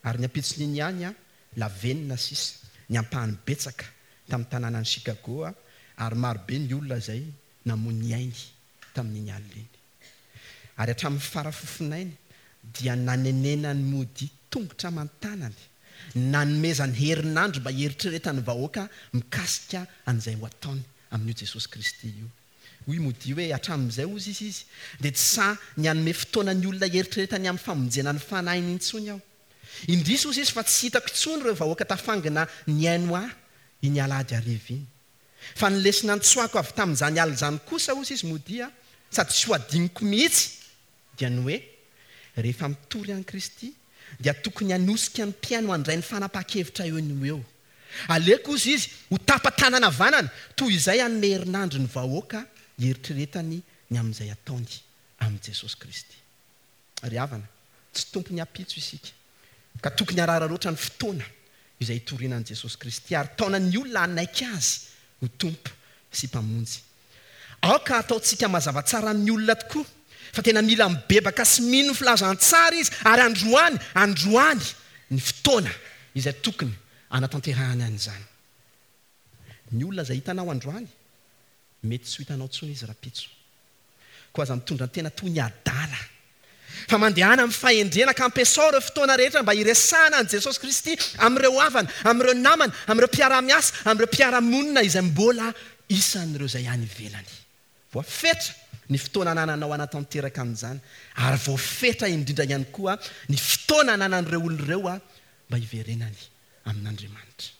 Ary ny ampitson'iny ihany, lavenona sisa ny ampahany betsaka tamin'ny tanànan'i Chicago ary marobe ny olona izay namoy ny ainy tamin'iny alina iny. Ary hatramin'ny farafofonainy dia nanenenan'i Moody tongotra aman-tanany, nanomezany herinandro mba hieritreretan'ny vahoaka mikasika an'izay ho ataony amin'io Jesosy Kristy io. Hoy Moody hoe hatramin'izay hozy izy izy dia tsy sahy ny hanome fotoana ny olona hieritreretany amin'ny famonjena ny fanahiny intsony aho. Indrisy hozy izy fa tsy hitako intsony ireo vahoaka tafangina nihaino ahy iny alahady hariva iny. Fa ny lesona nitsoahako avy tamin'izany alina izany kosa, hozy izy, modia sady tsy ho adinoko mihitsy, dia ny hoe rehefa mitory an'i Kristy dia tokony hanosika ny mpihaino handray ny fanapahan-kevitra eo no eo. Aleoko, hozy izy, ho tapa-tanana havanana toy izay hanome herinandro ny vahoaka hieritreretany ny amin'izay ataony amin'i Jesosy Kristy. Ry havana, tsy tompon'ny ampitso isika, ka tokony hararaotra ny fotoana izay hitoriana an'i Jesosy Kristy ary taona ny olona hanaiky Azy ho Tompo sy Mpamonjy. Aoka hataontsika mazava tsara amin'ny olona tokoa fa tena mila mibebaka sy mino ny filazantsara izy, ary androany, androany ny fotoana izay tokony hanatanterahany an'izany. Ny olona izay hitanao androany, mety tsy ho hitanao intsony izy rahampitso. Koa aza mitondra tena toy ny adala, fa mandehana amin'ny fahendrena ka ampiasao ireo fotoana rehetra mba hiresahana an'i Jesosy Kristy amin'ireo havana, amin'ireo namana, amin'ireo mpiara-miasa, amin'ireo mpiara-monina izay mbola isan'ireo izay any ivelany. Voafetra ny fotoana anananao hanatanteraka an'izany, ary voafetra indrindra ihany koa ny fotoana ananan'ireo olona ireo mba hiverenany amin'Andriamanitra.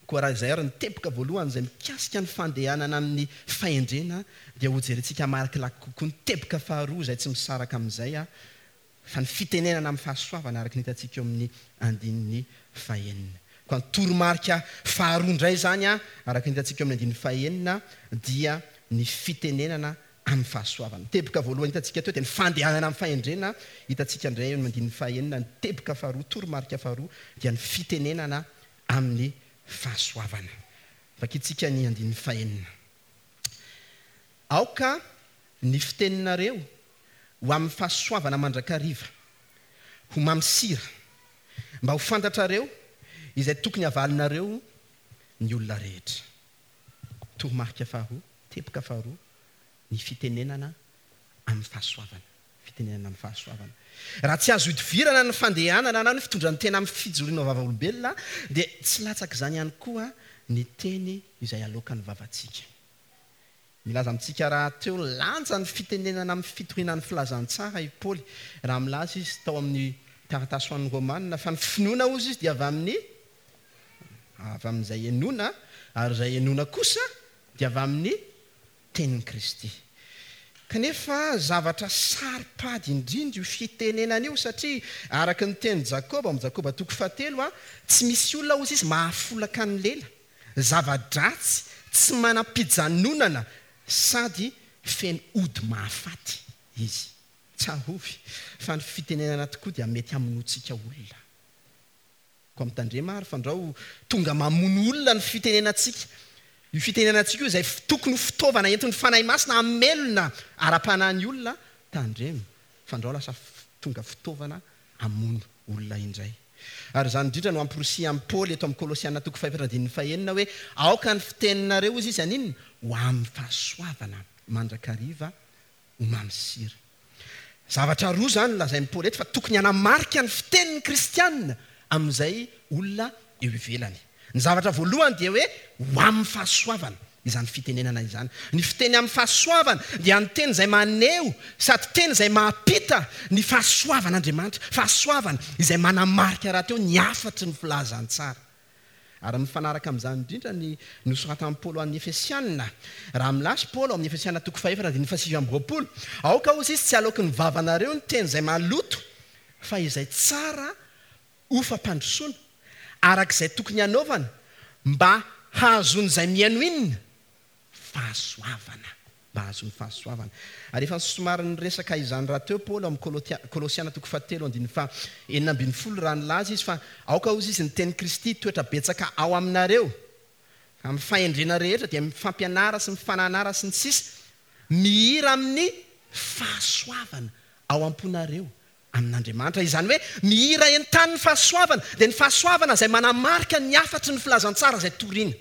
Koa raha izay ary ny teboka voalohany izay mikasika ny fandehanana amin'ny fahendrena, dia hojerentsika malakilaky kokoa ny teboka faharoa izay tsy misaraka amin'izay, fa ny fitenenana amin'ny fahasoavana araka ny hitantsika eo amin'ny andininy fahenina. Koa ny toromarika faharoa indray izany, araka ny hitantsika eo amin'ny andininy fahenina, dia ny fitenenana amin'ny fahasoavana. Ny teboka voalohany hitantsika teo dia ny fandehanana amin'ny fahendrena, hitantsika indray eo amin'ny andininy fahenina. Ny teboka faharoa, toromarika faharoa, dia ny fitenenana amin'ny fahasoavana. Vakintsika ny andininy fahenina. Aoka ny fiteninareo ho amin'ny fahasoavana mandrakariva, ho mamy sira, mba ho fantatrareo izay tokony havalinareo ny olona rehetra. Toromarika faharoa, teboka faharoa, ny fitenenana amin'ny fahasoavana. Fitenenana amin'ny fahasoavana. Raha tsy azo idivirana ny fandehanana na ny fitondran-tena amin'ny fijoroana vavolombelona, dia tsy latsaka izany ihany koa ny teny izay aloakan'ny vavantsika. Milaza amintsika rahateo lanja ny fitenenana amin'ny fitoriana ny filazantsara i Paoly, raha milaza izy tao amin'ny taratasy ho an'ny Romanina fa ny finoana, hozy izy, dia avy amin'ny avy amin'izay henoina, ary izay henoina kosa dia avy amin'ny tenin'i Kristy. Kanefa zavatra saro-pady indrindra io fitenenana io, satria araka ny tenin'i Jakoba, ao amin'ny Jakoba toko fahatelo, tsy misy olona, hozy izy, mahafolaka ny lela, zava-dratsy tsy manam-pijanonana sady feno ody mahafaty izy. Tsarovy fa ny fitenenana tokoa dia mety hamonoantsika olona. Koa mitandrema ary fandrao tonga mamono olona ny fitenenantsika. Io fitenenantsika io izay tokony ho fitaovana entin'ny Fanahy Masina hamelona ara-panahy ny olona, tandremo fandrao lasa tonga fitaovana hamono olona indray. Ary izany indrindra no amporisihan'i Paoly eto amin'ny Kolosiana toko fahefatra andininy fahenina hoe aoka ny fiteninareo, hozy izy, haninona? Ho amin'ny fahasoavana mandrakariva ho mamy sira. Zavatra roa izany lazain'i Paoly eto fa tokony hanamarika ny fitenin'ny kristianina amin'izay olona eo ivelany. Ny zavatra voalohany dia hoe ho amin'ny fahasoavana izany fitenenana izany. Ny fiteny amin'ny fahasoavana dia ny teny izay maneho sady teny izay mampita ny fahasoavan'Andriamanitra, fahasoavana izay manamarika rahateo ny hafatry ny filazantsara. Ary mifanaraka amin'izany indrindra ny nosoratan'i Paoly ho an'ny Efesianina. Raha milaza Paoly ao amin'ny Efesianina toko fahefatra andininy fahasivy amby roapolo, aoka hozy izy tsy aloaky ny vavanareo ny teny izay maloto, fa izay tsara ho fampandrosoana, araka izay tokony hanaovana, mba hahazoan'izay mihaino inona? Fahasoavana. Mba hahazoany fahasoavana. Ary efa somary niresaka izany rahateo Paoly ao amin'ny Kolosiana toko fahatelo andininy faha enina ambin'ny folo, raha nilaza izy fa aoka hozy izy ny tenin'i Kristy hitoetra betsaka ao aminareo, amin'ny fahendrena rehetra dia mifampianara sy mifananara sy ny sisa, mihira amin'ny fahasoavana ao am-ponareo amin'Andriamanitra. Izany hoe mihira entanin'ny fahasoavana, dia ny fahasoavana izay manamarika ny hafatry ny filazantsara izay torina.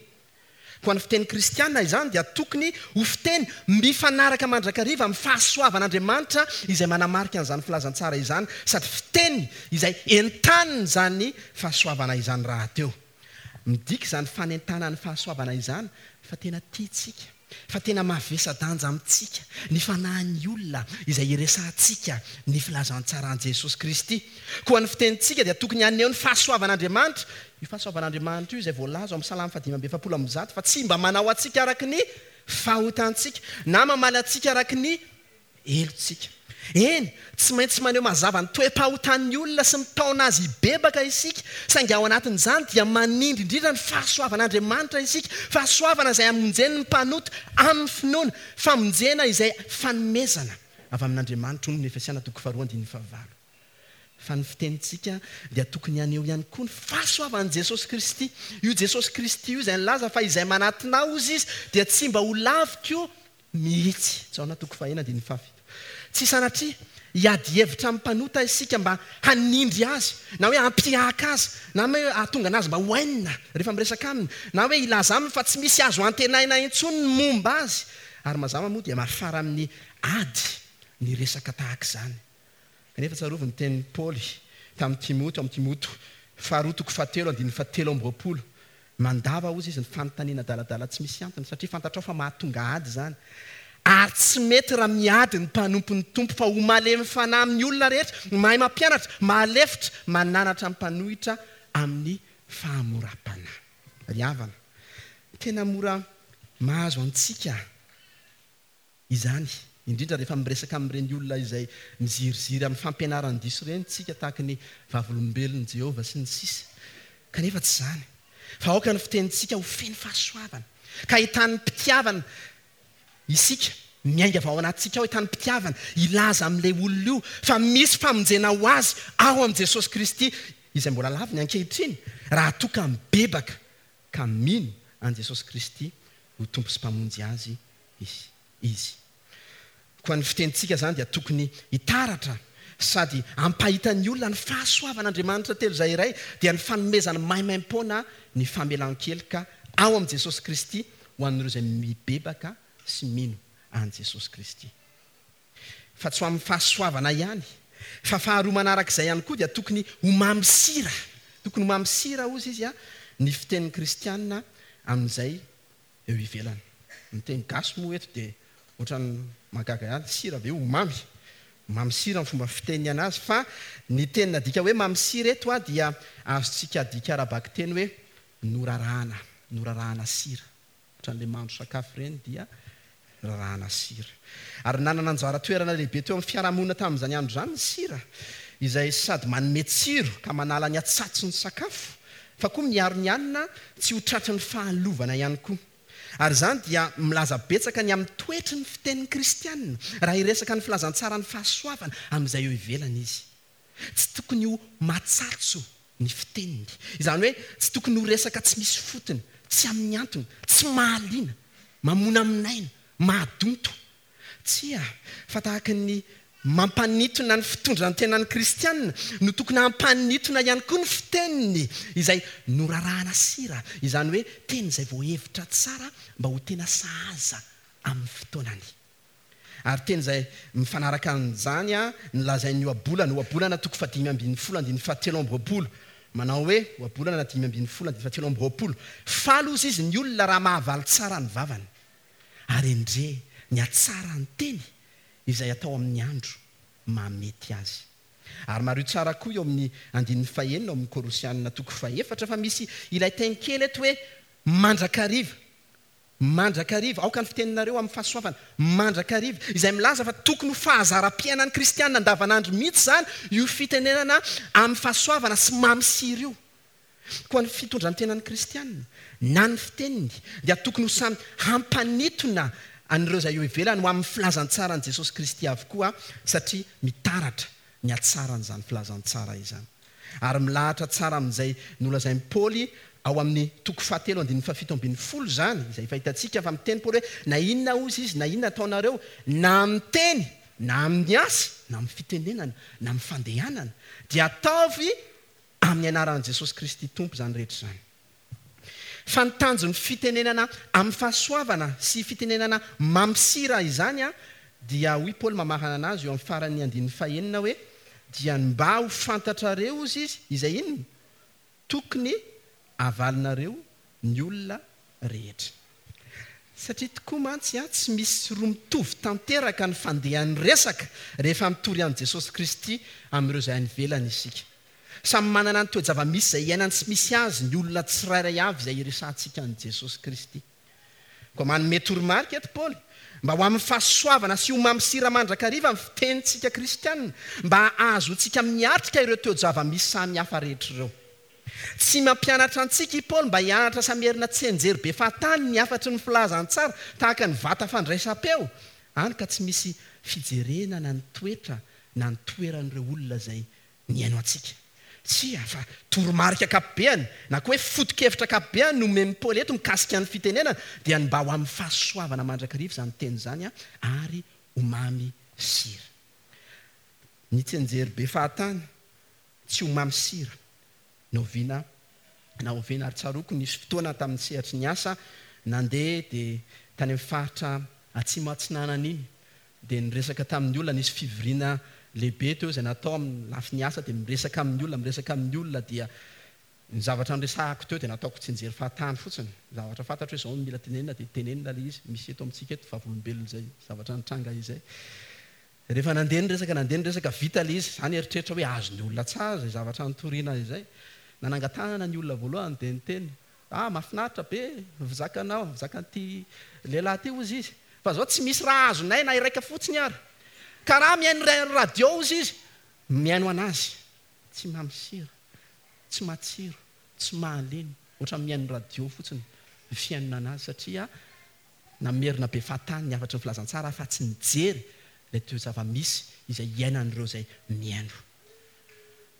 Koa ny fiteny kristiana izany dia tokony ho fiteny mifanaraka mandrakariva amin'ny fahasoavan'Andriamanitra izay manamarika an'izany filazantsara izany, sady fiteny izay entanin'izany fahasoavana izany rahateo. Midika izany fanentanan'ny fahasoavana izany fa tena tiantsika fa tena mavesa-danja amintsika ny fanahin'ny olona izay iresahantsika ny filazantsaran'i Jesosy Kristy. Koa ny fitenintsika dia tokony haneho ny fahasoavan'Andriamanitra. Io fahasoavan'Andriamanitra io izay voalaza ao amin'ny Salamo fahadimy amby efapolo amby zato fa tsy mba manao antsika araka ny fahotantsika na mamaly antsika araka ny helotsika. Eny, tsy maintsy maneho mazava ny toe-pahotan'ny olona sy mitaona azy hibebaka isika, saingy ao anatin'izany dia manindry indrindra ny fahasoavan'Andriamanitra isika, fahasoavana izay hamonjeny ny mpanota amin'ny finoana, famonjena izay fanomezana avy amin'Andriamanitra, hoy ny Efesiana toko faharoa andininy fahavalo. Fa ny fitenintsika dia tokony haneho ihany koa ny fahasoavan'i Jesosy Kristy. Io Jesosy Kristy io izay nilaza fa izay manatona ahy izy dia tsy mba ho laviko mihitsy. Jaona toko fahenina andininy fahafito. Tsy sanatria hiady hevitra amin'ny mpanota isika mba hanindry azy, na hoe hampihaka azy, na hoe hahatonga anazy mba ho hainina rehefa miresaka aminy, na hoe hilaza aminy fa tsy misy azo antenaina intsony ny momba azy. Ary mazava moa dia mafara amin'ny ady ny resaka tahaka izany. Kanefa tsarovy ny tenin'i Paoly tamin'i Timoty, amin'ny Timoty faharoa toko fahatelo andininy fahatelo amby roapolo. Mandava hozy izy ny fanontaniana adaladala tsy misy antony, satria fantatrao fa mahatonga ady izany. Ary tsy mety raha miady ny mpanompon'ny Tompo fa ho malemy fanahy amin'ny olona rehetra, mahay mampianatra, mahalefitra, mananatra ny mpanohitra amin'ny fahamoram-panahy. Ry havana, tena mora mahazo antsika izany, indrindra rehefa miresaka amin'ireny olona izay miziriziry amin'ny fampianaran-diso ireny tsika, tahaka ny vavolombelon'i Jehovah sy ny sisa. Kanefa tsy izany, fa aoka ny fitenintsika ho feno fahasoavana, ka ahitan'ny mpitiavana isika, miainga avy ao anatintsika ao ahitan'ny mpitiavana, hilaza amin'ilay olona io fa misy famonjena ho azy ao amin'i Jesosy Kristy, izay mbola laviny ankehitriny, raha toa ka mibebaka ka mino an'i Jesosy Kristy ho Tompo sy Mpamonjy azy izy. Koa ny fitenintsika izany dia tokony hitaratra sady hampahita ny olona ny fahasoavan'Andriamanitra telo izay iray, dia ny fanomezany maimaimpoana ny famelan-keloka ao amin'i Jesosy Kristy ho an'ireo izay mibebaka sy mino an'i Jesosy Kristy. Fa tsy ho amin'ny fahasoavana ihany, fa faharoa manarak'izay ihany koa dia tokony ho mamy sira. Tokony ho mamy sira hozy izy a, ny fitenin'ny kristianina amin'izay eo ivelany. Ny teny gasy moa eto dia ohatran'ny mahagaga ihany, sira ve ho mamy? Mamy sira ny fomba fiteniny anazy, fa ny teny nadika hoe mamy sira eto a dia azontsika adika ara-bakiteny hoe norarahana, norarahana sira. Ohatran'ilay mahandro sakafo ireny dia rarahana sira. Ary nanana anjara toerana lehibe teo amin'ny fiarahamonina tamin'izany andro izany ny sira, izay sady manome tsiro ka manala ny hatsatso ny sakafo, fa koa miaro ny hanina tsy ho tratry ny fahalovana ihany koa. Ary izany dia milaza betsaka ny amin'ny toetry ny fitenin'ny kristianina raha hiresaka ny filazantsaran'ny fahasoavana amin'izay eo ivelany izy. Tsy tokony ho matsatso ny fiteniny. Izany hoe tsy tokony ho resaka tsy misy fotony, tsy amin'ny antony, tsy mahaliana, mamonamonaina, mahadonto. Tsia, fa tahaka ny mampanintona ny fitondran-tenan'ny kristianina no tokony hampanintona ihany koa ny fiteniny izay norarahana sira, izany hoe teny izay voahevitra tsara mba ho tena sahaza amin'ny fotoanany. Ary teny izay mifanaraka amin'izany a ny lazain'ny ohabolana, ohabolana toko fahadimy ambin'ny folo andininy fahatelo amby roapolo, manao hoe ohabolana dimy ambin'ny folo andininy fahatelo amby roapolo, faly hozy izy ny olona raha mahavaly tsara ny vavany, ary endre ny hatsaran'ny teny izay atao amin'ny andro mahamety azy. Ary mariho tsara koa eo amin'ny andininy fahenina ao amin'ny Kolosianina toko fahefatra fa misy ilay teny kely eto hoe mandrakariva. Mandrakariva, aoka ny fiteninareo amin'ny fahasoavana, mandrakariva, izay milaza fa tokony ho fahazaram-piainan'ny kristianina andavanandro mihitsy izany io fitenenana amin'ny fahasoavana sy mamy sira io. Koa ny fitondran-tenan'ny kristianina na ny fiteniny dia tokony ho samy hampanitona an'ireo izay eo ivelany ho amin'ny filazantsaran'i Jesosy Kristy avokoa, satria mitaratra ny hatsaran'izany filazantsara izany. Ary milahatra tsara amin'izay nolazain'i Paoly ao amin'ny toko fahatelo andininy fahafito ambin'ny folo izany, izay efa hitantsika fa miteny Paoly hoe na inona hozy izy, na inona ataonareo, na amin'ny teny, na amin'ny asa, na amin'ny fitenenana, na amin'ny fandehanana, dia ataovy amin'ny anaran'i Jesosy Kristy Tompo izany rehetra izany. Fa ny tanjon'ny fitenenana amin'ny fahasoavana sy fitenenana mamy sira izany a, dia hoy Paoly mamarana anazy eo amin'ny faran'ny andininy fahenina hoe dia ny mba ho fantatrareo hozy izy, izay inona? Tokony havalinareo ny olona rehetra. Satria tokoa mantsy a, tsy misy roa mitovy tanteraka ny fandehan'ny resaka rehefa mitory an'i Jesosy Kristy amin'ireo izay any ivelany isika. Samy manana ny toe-java-misy izay iainany sy misy azy ny olona tsirairay avy izay iresahantsika an'i Jesosy Kristy. Koa manome toromarika eto Paoly mba ho amin'ny fahasoavana sy ho mamy sira mandrakariva ny fitenintsika kristianina, mba hahazoantsika miatrika ireo toe-java-misy samy hafa rehetra ireo. Tsy mampianatra antsika i Paoly mba hianatra sy hamerina tsianjery be fahatany ny hafatry ny filazantsara tahaka ny vata fandraisam-peo, hany ka tsy misy fijerena na ny toetra na ny toeran'ireo olona izay mihaino antsika. Tsia, fa toromarika ankapobeany, na koa hoe foto-kevitra ankapobeany no omen'i Paoly eto mikasika ny fitenenana, dia ny mba ho amin'ny fahasoavana mandrakariva izany teny izany, ary ho mamy sira. Ny tsianjery be fahatany tsy ho mamy sira na oviana na oviana. Ary tsaroako nisy fotoana tamin'ny sehatry ny asa nandeha dia tany amin'ny faritra atsimo atsinanana iny, dia niresaka tamin'ny olona, nisy fivoriana lehibe teo izay natao amin'ny lafiny asa, dia miresaka amin'ny olona, miresaka amin'ny olona, dia ny zavatra niresahako teo dia nataoko tsianjery fahatany fotsiny. Zavatra fantatro hoe izao no mila tenenina dia tenenina ilay izy. Misy eto amintsika eto vavolombelona izay zavatra nitranga izay. Rehefa nandeha ny resaka, nandeha ny resaka, vita ilay izy. Izany eritreritra hoe azon'ny olona tsara izay zavatra nitoriana izay. Nanangan-tanana ny olona voalohany dia niteny, ah, mahafinaritra be, vizakanao, vizakan'ity lehilahy ity hozy izy. Fa zao tsy misy raha azonay na iraika fotsiny ary. Karaha mihaino radio hozy izy, mihaino anazy. Tsy mamy sira, tsy matsiro, tsy mahaleny, ohatra mihaino radio fotsiny ny fihainona anazy, satria namerina be fahatany ny hafatry ny filazantsara fa tsy nijery ilay toe-java-misy izay iainan'ireo izay mihaino.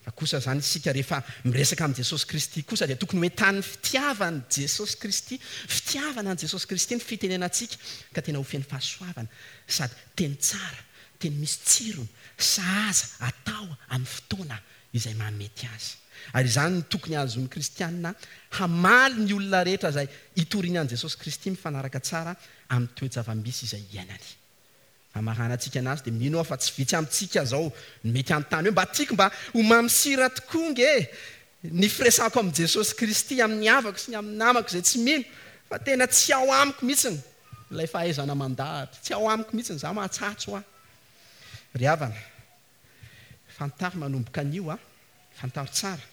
Fa kosa izany isika rehefa miresaka amin'i Jesosy Kristy kosa dia tokony ho entan'ny fitiavan'i Jesosy Kristy, fitiavana an'i Jesosy Kristy ny fitenenantsika, ka tena ho feno fahasoavana sady teny tsara, teny misy tsirony, sahaza atao amin'ny fotoana izay mahamety azy. Ary izany no tokony hahazoan'ny kristianina hamaly ny olona rehetra izay itoriany an'i Jesosy Kristy mifanaraka tsara amin'ny toe-java-misy izay iainany. Hamaranantsika anazy dia mino aho fa tsy vitsy amintsika izao no mety hanontany hoe mba tiako mba ho mamy sira tokoa nge ny firesako amin'i Jesosy Kristy amin'ny havako sy ny amin'ny namako izay tsy mino, fa tena tsy ao amiko mihitsiny ilay fahaizana mandahatra, tsy ao amiko mihitsiny, izaho mahatsatso aho. Ry havana, fantaro manomboka anio, fantaro tsara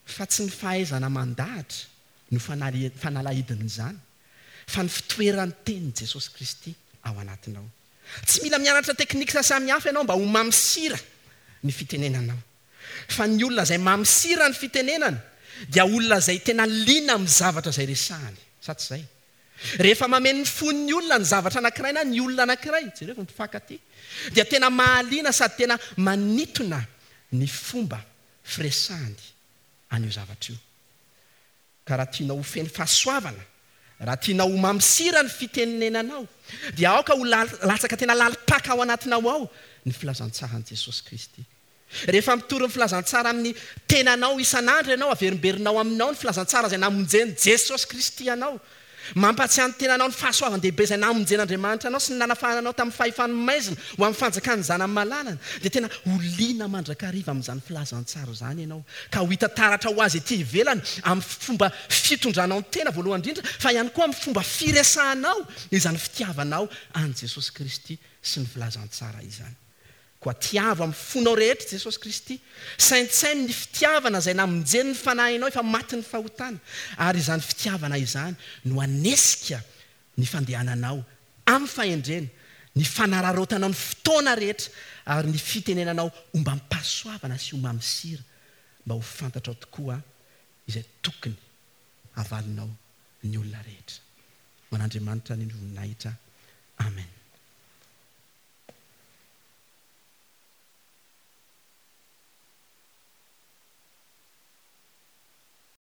fa tsy ny fahaizana mandahatra no fanalahidin'izany, fa ny fitoeran'ny tenin'i Jesosy Kristy ao anatinao. Tsy mila mianatra teknika samihafa ianao mba ho mamy sira ny fitenenanao. Fa ny olona izay mamy sira ny fitenenana dia olona izay tena liana amin'ny zavatra izay resahany. Sa tsy izay? Rehefa mameno ny fon'ny olona ny zavatra anankiray na ny olona anankiray, jereo ny mpifankatia, dia tena mahaliana sady tena manintona ny fomba firesahany an'io zavatra io. Ka raha tianao ho feno fahasoavana, raha tianao ho mamy sira ny fitenenanao, dia aoka ho latsaka tena lalim-paka ao anatinao ao ny filazantsaran'i Jesosy Kristy. Rehefa mitory ny filazantsara amin'ny tenanao isan'andro ianao, averimberinao aminao ny filazantsara izay namonjen'i Jesosy Kristy anao. Mampatsiahy ny tenanao ny fahasoavan-dehibe izay namonjen'Andriamanitra anao sy ny nanafahana anao tamin'ny fahefan'ny maizina ho amin'ny fanjakan'ny zanany malalany, dia tena ho liana mandrakariva amin'izany filazantsara izany ianao, ka ho hita taratra ho azy ety ivelany amin'ny fomba fitondranao ny tena voalohany indrindra, fa ihany koa amin'ny fomba firesahanao izany fitiavanao an'i Jesosy Kristy sy ny filazantsara izany. Koa tiavo amin'ny fonao rehetra Jesosy Kristy. Saintsaino ny fitiavana izay namonjeny ny fanahinao efa matin'ny fahotana. Ary izany fitiavana izany no hanesika ny fandehananao amin'ny fahendrena, ny fanararaotanao ny fotoana rehetra, ary ny fitenenanao ombam-pahasoavana sy ho mamy sira, mba ho fantatrao tokoa izay tokony havalinao ny olona rehetra. Ho an'Andriamanitra ny voninahitra. Amen.